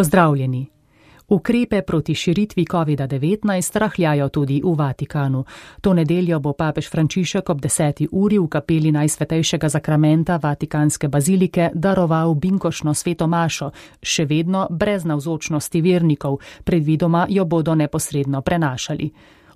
Pozdravljeni. Ukrepe proti širitvi COVID-19 rahljajo tudi v Vatikanu. To nedeljo bo papež Frančišek ob 10. uri v kapeli Najsvetejšega zakramenta Vatikanske bazilike daroval binkošno sveto mašo, še vedno brez navzočnosti vernikov, predvidoma jo bodo neposredno prenašali.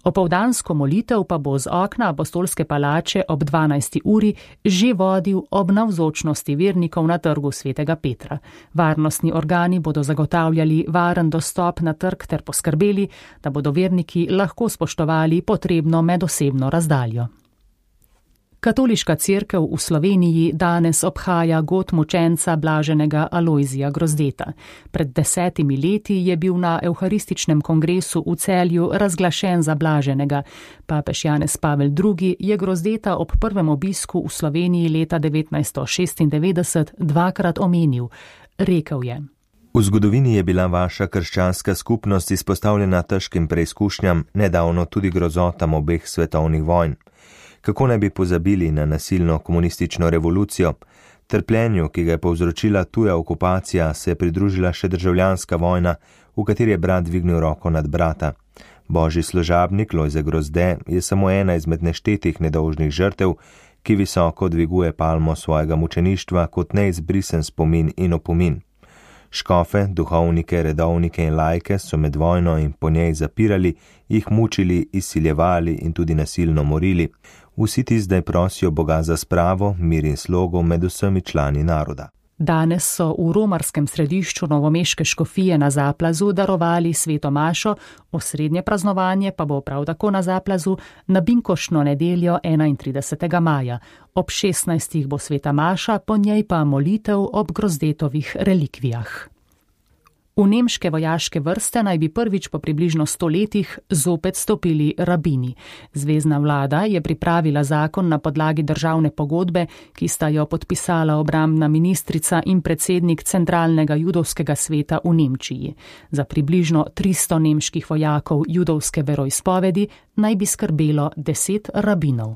Opoldansko molitev pa bo z okna apostolske palače ob 12. uri že vodil ob navzočnosti vernikov na trgu svetega Petra. Varnostni organi bodo zagotavljali varen dostop na trg ter poskrbeli, da bodo verniki lahko spoštovali potrebno medosebno razdaljo. Katoliška cerkev v Sloveniji danes obhaja god mučenca blaženega Alojzija Grozdeta. Pred 10 leti je bil na evharističnem kongresu v Celju razglašen za blaženega. Papež Janez Pavel II. Je Grozdeta ob prvem obisku v Sloveniji leta 1996 dvakrat omenil. Rekel je: V zgodovini je bila vaša krščanska skupnost izpostavljena težkim preizkušnjam, nedavno tudi grozotam obeh svetovnih vojn. Kako ne bi pozabili na nasilno komunistično revolucijo? Trpljenju, ki ga je povzročila tuja okupacija, se je pridružila še državljanska vojna, v kateri je brat dvignil roko nad brata. Božji služabnik Lojze Grozde je samo ena izmed neštetih nedolžnih žrtev, ki visoko dviguje palmo svojega mučeništva kot neizbrisen spomin in opomin. Škofe, duhovnike, redovnike in laike so med vojno in po njej zapirali, jih mučili, izsiljevali in tudi nasilno morili. Vsi ti zdaj prosijo Boga za spravo, mir in slogo med vsemi člani naroda. Danes so v romarskem središču novomeške škofije na Zaplazu darovali sveto mašo, osrednje praznovanje pa bo prav tako na Zaplazu na binkošno nedeljo 31. maja. Ob 16. bo sveta maša, po njej pa molitev ob Grozdetovih relikvijah. V nemške vojaške vrste naj bi prvič po približno 100 letih zopet stopili rabini. Zvezna vlada je pripravila zakon na podlagi državne pogodbe, ki sta jo podpisala obrambna ministrica in predsednik Centralnega judovskega sveta v Nemčiji. Za približno 300 nemških vojakov judovske veroizpovedi naj bi skrbelo 10 rabinov.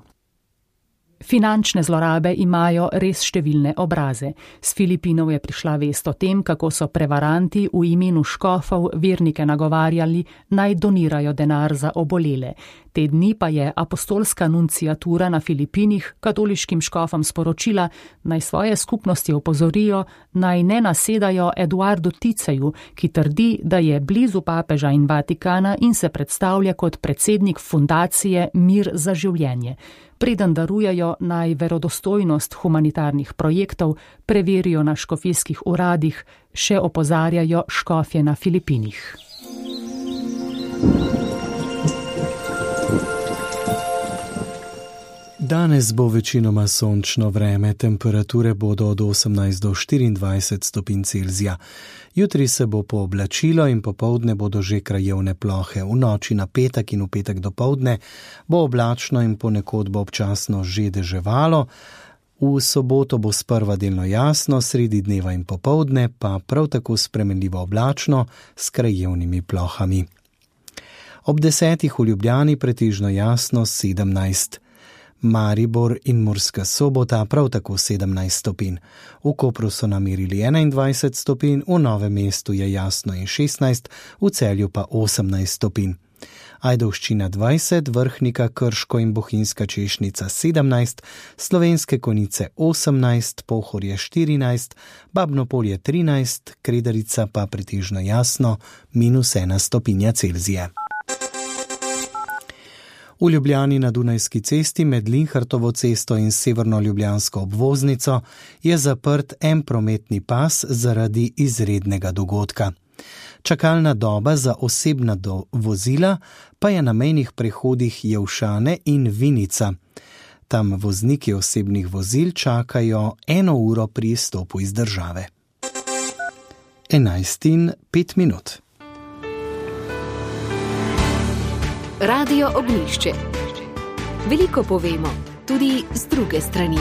Finančne zlorabe imajo res številne obraze. Z Filipinov je prišla vest o tem, kako so prevaranti v imenu škofov vernike nagovarjali, naj donirajo denar za obolele. Te dni pa je apostolska nunciatura na Filipinih katoliškim škofom sporočila, naj svoje skupnosti opozorijo, naj ne nasedajo Eduardu Ticeju, ki trdi, da je blizu papeža in Vatikana in se predstavlja kot predsednik fundacije Mir za življenje. Preden darujejo, naj verodostojnost humanitarnih projektov preverijo na škofijskih uradih, še opozarjajo škofje na Filipinih. Danes bo večinoma sončno vreme, temperature bodo od 18 do 24 stopinj Celzija. Jutri se bo pooblačilo in popoldne bodo že krajevne plohe. V noči na petek in v petek dopoldne bo oblačno in ponekod bo občasno že deževalo. V soboto bo sprva delno jasno, sredi dneva in popoldne pa prav tako spremenljivo oblačno s krajevnimi plohami. Ob 10. v Ljubljani pretežno jasno 17. Maribor in Murska Sobota prav tako 17 stopinj. V Kopru so namerili 21 stopinj, v Novem mestu je jasno in 16, v Celju pa 18 stopinj. Ajdovščina 20, Vrhnika, Krško in Bohinjska Češnica 17, Slovenske Konjice 18, Pohorje 14, Babno Polje 13, Kredarica pa pretežno jasno -1 stopinja Celzija. V Ljubljani na Dunajski cesti med Linhartovo cesto in severno ljubljansko obvoznico je zaprt en prometni pas zaradi izrednega dogodka. Čakalna doba za osebna vozila pa je na mejnih prehodih Jelšane in Vinica. Tam vozniki osebnih vozil čakajo 1 uro pri izstopu iz države. 11:05. Radio Ognjišče. Veliko povemo, tudi z druge strani.